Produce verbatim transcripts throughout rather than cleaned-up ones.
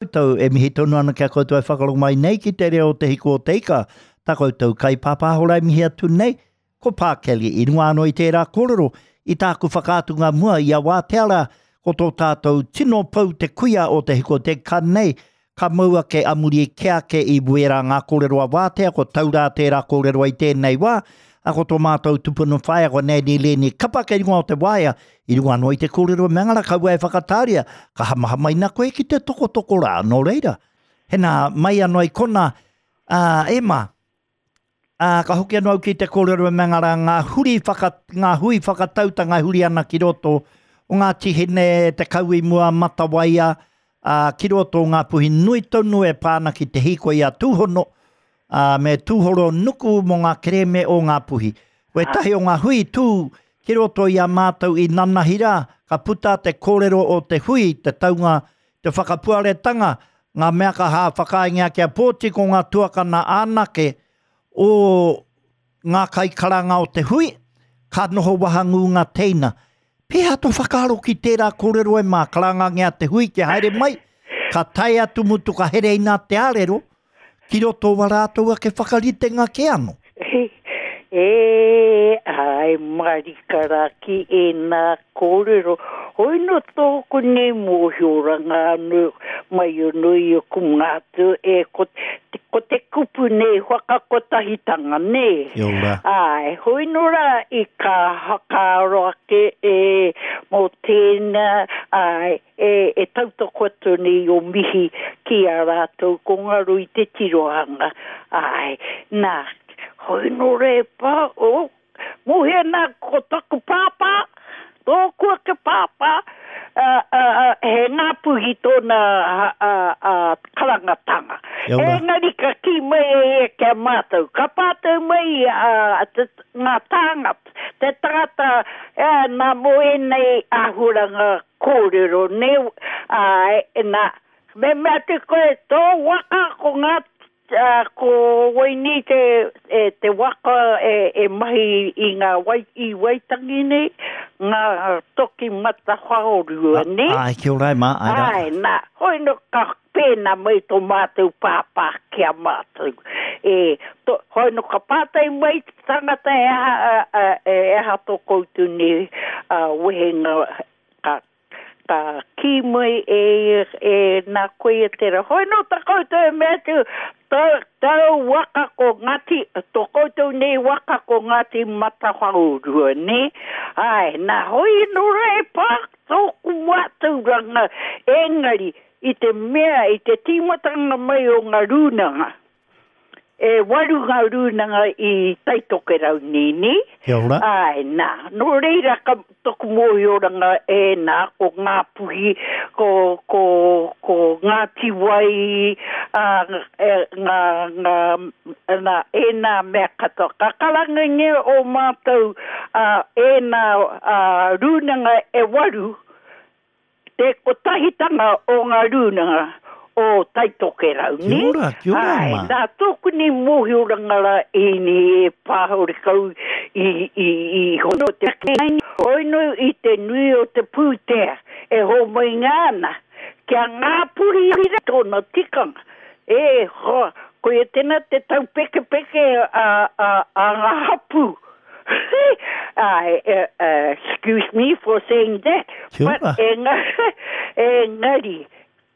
Koutou e mihi tonu ana ki a koutou e whakarongo mai nei ki te reo o Te Hiku o Te Ika, tā koutou kaipāpāho rā e mihi atu nei, ko Pā Kelly. I runga anō i tērā kōrero, i tāku whakaatunga mua i a Wātea rā, ko tō tātou tino pou te kuia o Te Hiku o Te Ika nei, ka mau ake a muri kē ake i wērā ngā kōrero a Wātea, ko Taurā tērā kōrero i tēnei wā, a ko tō mātou tupuna whaea ko Nanny Lenny Kapa kei runga o te waea, i runga anō i te kōrero me ngara kaua e whakatāria, ka hamahamaina koe ki te tokotoko rā, nō reira. Hena, mai anō i kona, ā, e mā, ā, ka hoki anō au ki te kōrero me ngara ngā huri whaka, ngā hui whakatautanga e huri ana ki roto o Ngāti Hine, Te Kauimua, Matawaia, ā, ki roto o Ngāpuhi nui tonu e pā ana ki te hīkoi a Tūhono, ā, me tūhoro nuku mō ngā kerēme o Ngāpuhi. Wētahi o ngā hui tū ki roto i a mātou i nanahi rā, ka puta te kōrero o te hui, te taunga, te whakapuaretanga, ngā mea ka hā whakaaengia kia pōti ko ngā tuakana anake o ngā kaikaranga o te hui, ka noho wahangū ngā teina. Pēhea tō whakaaro ki tērā kōrero e mā, karangangia te hui kia haere mai, ka tae atu mutu ka hereina te ārero, ki roto o a rātou ake whakaritenga kē anō. E, āe marika rā ki ēnā kōrero. Hoi nō tōku nei mōhioranga anō mai anō i aku mātua e ko, ko te kupu nei whakakotahitanga, nē? Kia ora. Āe, hoi nō rā i ka whakaaro ake e mō tēnā, āe, e, e tautoko atu nei o mihi ki a rātou ko ngaro i te tirohanga. Āe, nā, hoi nō re pā, o, mohi ana ko taku pāpā, tōku ake pāpā, a, a, a, he Ngāpuhi tōna a, a, a, karangatanga. Engari ka kī mai e ia ki a mātou, ka pātai mai a, te, ngā tāngata, te tangata, e, nā mō ēnei āhuaranga kōrero, nē, āe, nā, me mea atu koe, tō waka ko ngā, ko wai nei te, e, te waka e, e mahi i ngā wai, i Waitangi nei, ngā toki matawhaorua, nē? Āe, kia ora e mā, āe rā. Āe, nā, hoi nō ka pēnā mai tō mātou pāpā ki a mātou. E, to, hoi nō ka pātai mai te tangata e aha, a, e aha tō koutou nei a, wehenga ka, ka kī mai e, e nā koia tērā. Hoi nō tā koutou e mea atu, tau, tau waka ko Ngāti, tō koutou nei waka ko Ngāti Matawhaorua, nē? Āe, nā, hoi nō rā e pā tōku mātauranga, engari, i te mea, i te tīmatanga mai o ngā rūnanga, e waru ngā rūnanga i Taitokerau nei, nē? Kia ora. Āe, nā, nō reira ka toku mōhioranga e nā, ko Ngāpuhi, ko, ko, ko Ngāti Wai, ā, e, ngā, ngā, nā, ēnā mea katoa. Ka karangangia ō mātou, ā, ēnā, ā, rūnanga e waru, Te kotahitanga o ngā rūnanga o Taitokerau, Kia nē? ora, kia ora, Āe, ma. nā tōku nei mōhioranga rā ēnei e pāhore kau i, i, i hono te ake, hoi nō i te nui o te pūtea e hōmainga ana kia Ngāpuhi rā tōna tikanga. E hoa, koia tēnā te taupekepeke a, a, a ngā hapū. Āe, excuse me for saying that, Kia but ora. enga, engari,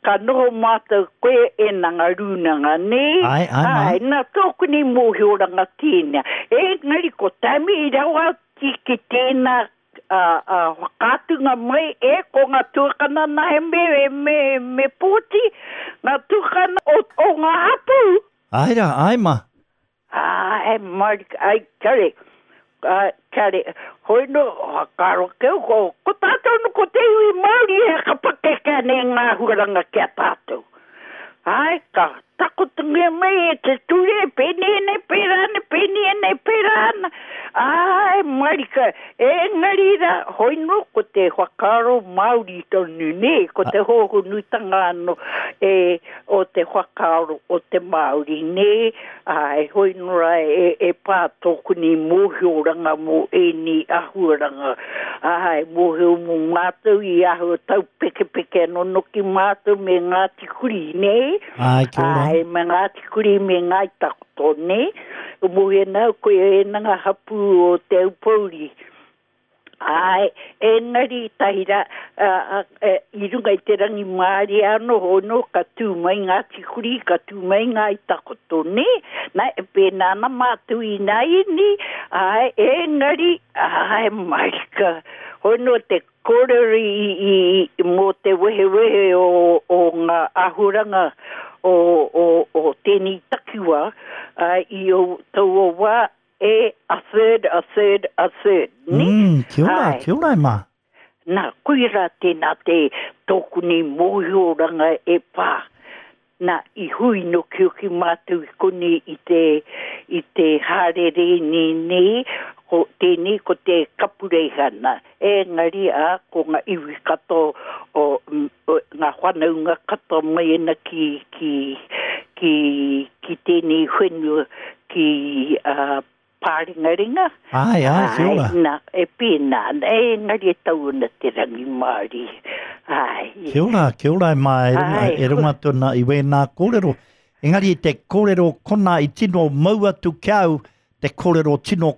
ka noho mātou koe e nanga rūnanga, nē? Āe, āe, mā. Āe, nā tōku nei mōhioranga tēnā. Engari, ko Tammy i rawa atu ki tēnā a, a, whakaatunga mai e ko ngā tuakana nā he me, me, me pōti, ngā tuakana o, o ngā hapū. Āe rā, āe mā. Āe, marika, ai, kare, ai, kare, hoi no, whakaaro keu, ko, ko tātou no, ko te iwi Māori e ka pakeke nei ngā huaranga ki a tātou. Āe, ka whakatakotongia mai e te ture, pēnei nei, pērā ana, pēnei nei, pērā ana. Ai, marika, engari rā, hoi nō, ko te whakaaro Māori tonu, nē, ko te hōhonutanga anō e, o te whakaaro o te Māori, nē, ai, hoi nō rā, e, e pā tōku nei mōhioranga mō ēnei āhuaranga. Ai, mōhio mō mātou i āhua taupekepeke anō noki mātou me Ngāti Kuri, nē? Ai, kia ora. Ai, me Ngāti Kuri me Ngāi Takoto, nē? O mōhio nau koe e ngā hapū o Te Aupōuri. Ai, engari tahi rā, uh, uh, i runga i te rangimārie anō hono, ka tū mai Ngāti Kuri, ka tū mai Ngāi Takoto, nē? Nā, e pēnā ana mātou ināianei, ai, engari, ai, marika, hono te kōrero i, i, i, mō te wehewehe o, o ngā āhuranga o, o, o tēnei takiwā, uh, i o taua wā, e a third, a third, a third, nē? Mm, kia ora, Ai. kia ora e mā. Nā, koira tēnā te tōku nei mōhioranga e pā. Nā, i hui nokioki mātou i konei i te, i te hārere nei nei, ko tēnei ko te kapureihana. Engari a, ko ngā iwi katoa o, mm, o ngā whanaunga katoa mai ana ki, ki, ki, ki tēnei whenua ki uh, Pārengarenga. Ai, ai, kia ora. Ai, nā, e pēnā ana, engari e tau ana te rangimārie. Ai. Kia ora, kia ora e mā, e runga, Ai. e runga tōna i wēnā kōrero. Engari te kōrero kona i tino mau atu ki au, te kōrero tino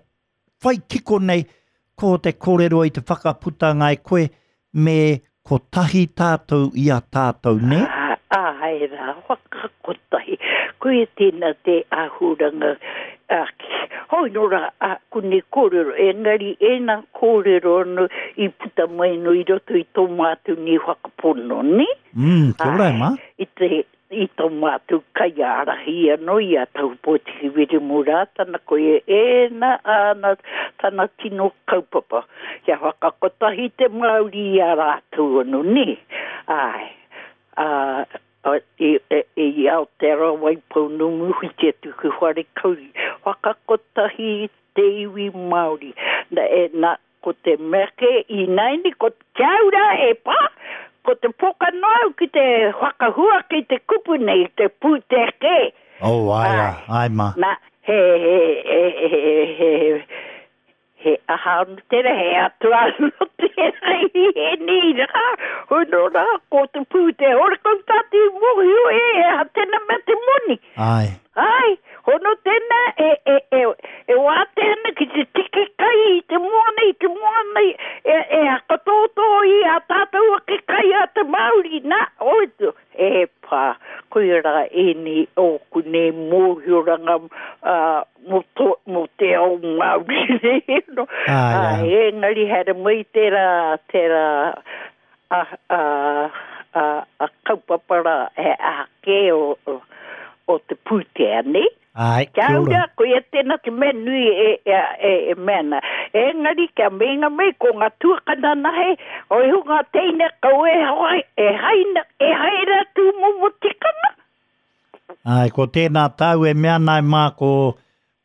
whai kiko nei, ko te kōrero i te whakaputanga e koe, me kotahi tātou i a tātou, nē? Ai rā, whakakotahi. Koe tēnā te āhuranga. Ah, hoi nō rā, a, ko nei kōrero, engari ēnā kōrero anō i puta mai no i roto i tō mātou nei whakapono, nē? Mm, kia ora e mā. I te, i tō mātou kaiārahi anō i a Tahupōtiki Wiremu Rātana, koe ēnā āna tana tino kaupapa. Kia whakakotahi te Māori i a rātou anō, nē? Ai, a, a, i, e, i Aotearoa Waipounamu hui te atu ki Wharekauri. Whakakotahi te iwi Māori. Na, e, na, ko te mea ke i naini, ko kia ora e pā, ko te poka noa au ki te whakahua ki te kupu nei, te pūtea ke. Oh, ai, ai, Ai. ai mā. Na, he, he, he, he, he, he aha anu tērā, he atua anu tērā i he nei rā. Hono rā, ko te pūtea, ora kau tātou i mōhio e, e aha tēnā mea te moni. Ai. Ai, hono tēnā e, e, e, e wātea ana ki te tiki kai i te moana, i te moana, i- e, e hakatōtō i a tātou ake kai a te Māori, nā, oi, tu, e pā, koia rā ēnei ōku nei mōhioranga uh, mō, to, mō te ao Māori, nē, no. Ai, Ai, ai. engari haere mai tērā, tērā, a, a, a, a kaupapa rā, he aha kē o, o, o te pūtea, nē? Ai, Kia kia ora. ora, koia tēnā te mea nui e, e, e, e mea ana. Engari, kia meinga mai ko ngā tuakana nahe, o iho ngā teina kau e hae, e haina, e haera tūmomo tikanga. Ai, ko tēnā tāu e mea nai mā, ko,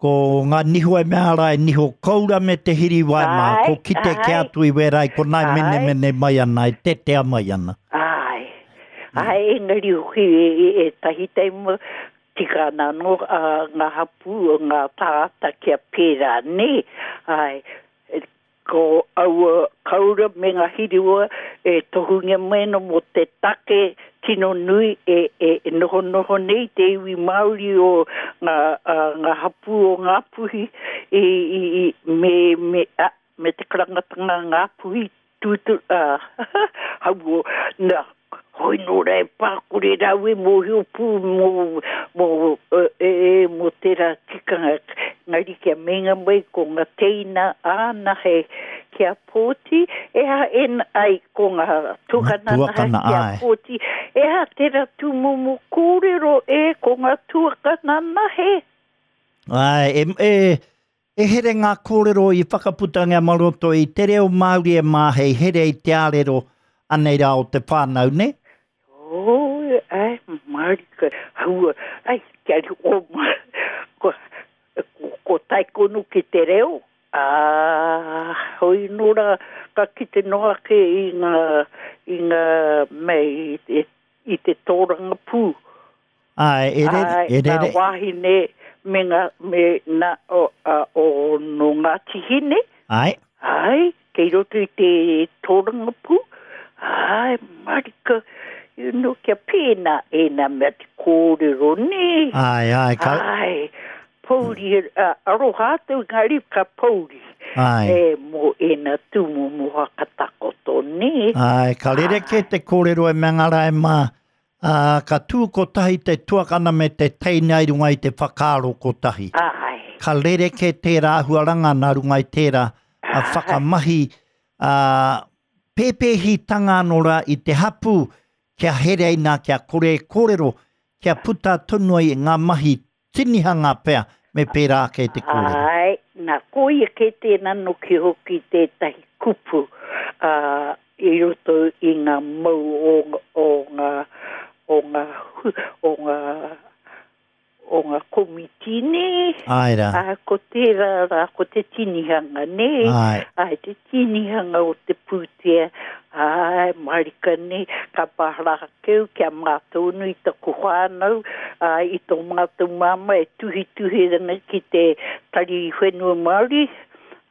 ko ngā niho e mea ara e niho koura me te hiriwai mā, Ai, ko kite ke ai. atu i wērai, ko nai Ai. mene mene mai ana, e tetea mai ana. Ai, ai, engari hoki e, e, e tahi taima, tika ana anō a, ngā hapū o ngā tāngata kia pērā, nē? Ai, e, ko aua kaura me ngā hiriwa e tohungia mai ana mō te take tino nui e, e, e noho noho nei te iwi Māori o ngā, a, ngā hapū o Ngāpuhi i, i, i, me, me, a, me te karangatanga Ngāpuhi tūturu, uh, hauo, nā, hoi nō rā e pākore rau e mōhio pū mō, mō, e, e, mō tērā tikanga. Ngari kia meinga mai ko ngā teina āna he kia pōti, e ha en ai ko ngā tuakana nahe tuakana, kia ai. pōti, e ha tērā tūmomo kōrero e ko ngā tuakana nahe. Ai, e, e, e here ngā kōrero i whakaputangia maroto i te reo Māori e mā hei here i te ārero anei rā o te whānau, ne? Oh, Ai, marika, haua, ai, kia ri o ma, ko, ko, ko taikonu ki te reo, ā, hoi nora, ka kite noa ake i ngā, i ngā mea, i, i te tōranga pū. Ai, e rere, Ai, e rere. Ngā wāhine me ngā, me nā, o, a, o, no Ngāti Hine. Ai. Ai, kei roto i te tōranga pū. Ai, marika, you know, kia pēnā ēnā mea te kōrero, nē. Ai, ai, ka... Ai, pouri, uh, aroha atu engari ka pouri. Ai. E, mō ēnā tūmomo whakatakoto, nē. Ai, ka rerekē te kōrero e mea ngā rae mā, ā, ka tū kotahi te tuakana me te teina i runga i te whakaaro kotahi. Ai. Ka rerekē tērā āhuaranga nā runga i tērā a whakamahi, ā, pēpēhitanga anō rā i te hapū, kia hereina, kia kore e kōrero, kia puta tonu ai ngā mahi tinihanga pea, me pērā ake te kōrero. Ai, nā, koia kē tēnā noki hoki tētahi kupu, ā, i roto i ngā mau o, o ngā, o ngā, o ngā, o ngā komiti, nē. Ai rā. Ā, ko tērā rā, ko te tinihanga, nē. Ai. Ai, te tinihanga o te pūtea, ai, marika, nē, ka pahara keu kia mātonu i taku whānau, ai, i tō mātou māma e tuhituhi ana ki te Tari Whenua Māori,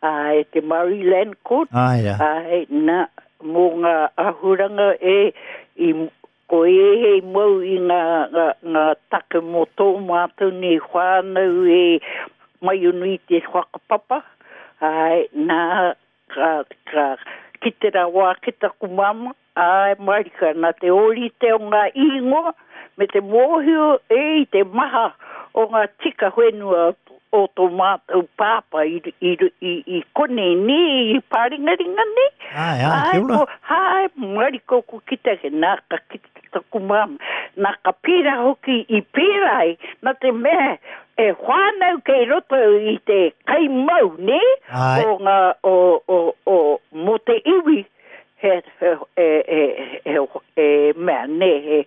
ai, te Māori Land Court. Ai rā. Ai, nā, mō ngā ahuranga e, i, ko e hei mau i ngā, ngā, ngā take mō tō mātou nei whānau e mai unu i te whakapapa. Ai, nā, ka, ka, ki te rawa ki taku mama, ai, marika, nā te ōrite o ngā ingoa, me te mōhio e i te maha o ngā tika whenua o tō mātou pāpā i, i, i, i konei nē, i pāringaringa nē. Ai, ai, kia ora. Ai, ko, ai, marika ko ki te, nā, ka ki te taku mama. Nā, ka pērā hoki i pērā ai, nā te mea, e whānau kei roto i te kaimau, nē? Ai. O ngā, o, o, o, mō te iwi, he, he, e, e, e, e, mea, nē, he,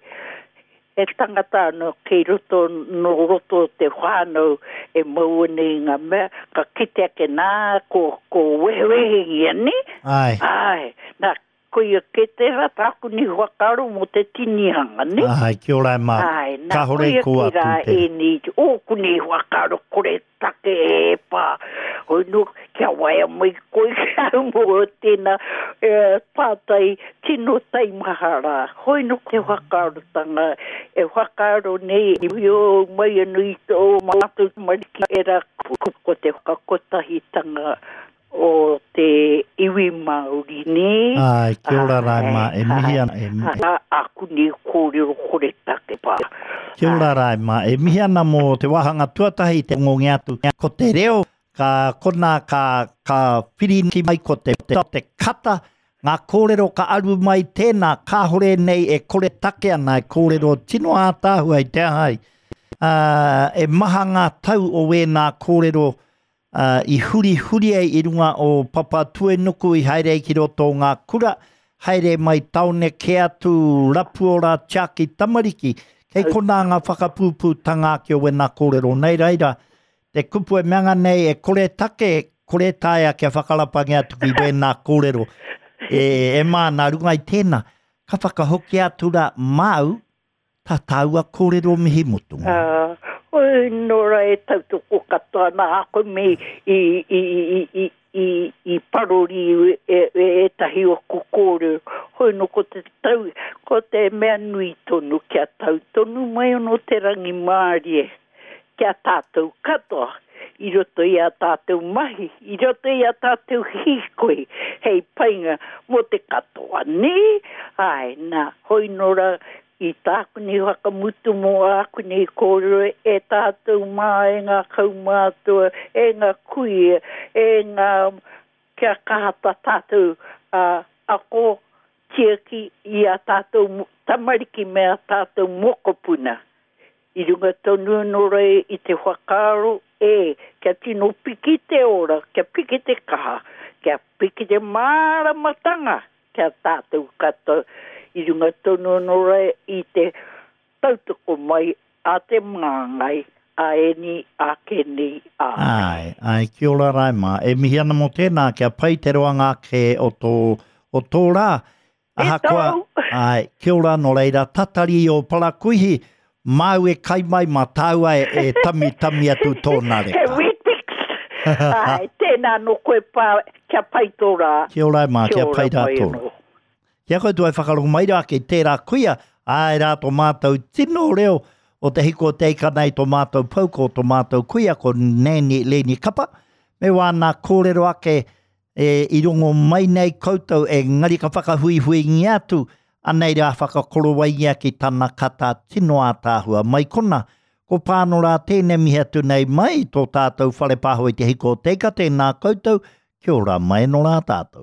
he tangata anō kei roto, nō roto te whānau e mau ana i ngā mea, ka kite ake nā, ko, ko wehewehengia, nē? Ai. Ai, nā, koia kē tērā tāku ni whakaaro mō te tinihanga, nē? Ai, kia ora e mā. Ai, nā, Kāhore koia ko kē atu rā tērā. ēnei, ōku nei whakaaro kore take e pā. Hoi nō, kia waia mai koe ki au mō tēnā, e, pātai tino taimaha rā. Hoi nō te whakaarotanga, e whakaaro nei, i o mai anu i tō mātou tamariki e rā ko, ko te whakakotahitanga o te iwi Māori, nē? Ai, kia ora rā e mā, e mihi ana, e mihi. Ai, aku nei kōrero kore take pā. Kia ora rā e mā, e mihi ana mō te wāhanga tuatahi te ngonge atu. Ko te reo, ka kona ka, ka whirinaki mai ko te, te, te kata, ngā kōrero ka aru mai tēnā, kāhore nei e kore take ana, e kōrero tino ātaahua i te ahai. Ā, e maha ngā tau o wēnā kōrero, ā, i huri huri ai i runga o Papatuenuku i haere ai ki roto o ngā kura, haere mai taone kē atu rapuora tiaki tamariki. Kei konā ngā whakapūpūtanga ake o wēnā kōrero. Nei reira, te kupu e meanga nei e kore take, kore taea kia whakarapangia atu ki wēnā kōrero. E, e mā, nā runga i tēnā, ka whakahoki atu rā māu, tā tāua kōrero mihi mutunga. Uh, oi, nō rā e tautoko katoa nā ako me i, i, i, i, i, i parori e, e, ētahi o ku kōrero. Hoi nō ko te tau, ko te mea nui tonu, kia tau tonu mai ono te rangimārie, kia tātou katoa, i roto i a tātou mahi, i roto i a tātou hīkoi, hei painga mō te katoa, nē? Ai, nā, hoi nō rā, i tāku nei whakamutu mō āku nei kōrero e tātou mā, e ngā kaumātua, e ngā kuia, e ngā kia kaha tā tātou, uh, ako tiaki i a tātou tamariki me a tātou mokopuna. I runga tonu anō rā i te whakaaro e, kia tino piki te ora, kia piki te kaha, kia piki te māramatanga, kia tātou katoa. I runga tonu anō rā i te tautoko mai a te māngai, a eni, a keni, a. Ai, ai, kia ora Raima. E mihi ana mō tēnā, kia pai te roanga ake o tō, o tō rā. Ahakoa, ai, kia ora nō reira, tatari i o parakuihi, māu e kai mai, mā tāua e, e tami tami atu tōna reka. He Weet-Bix! Ai, tēnā nō koe pā, kia pai tō rā. Kia ora mā, kia pai rā tō rā. Kia koutou e whakarongo mai rā ki tērā kuia, āe rā tō mātou tino reo o te hiko o te ika nei tō mātou pou ko tō mātou kuia ko Nanny Leni Kapa, me wāna kōrero ake e, i rongo mai nei koutou engari ka whakahuihuingia atu, anei rā whakakorowaingia ki tana kata tino ātaahua mai kona. Ko Pāno rā tēnei mihi atu nei mai tō tātou whare pāho i te hiko o te ika, tēnā koutou, kia ora mai no rā tātou.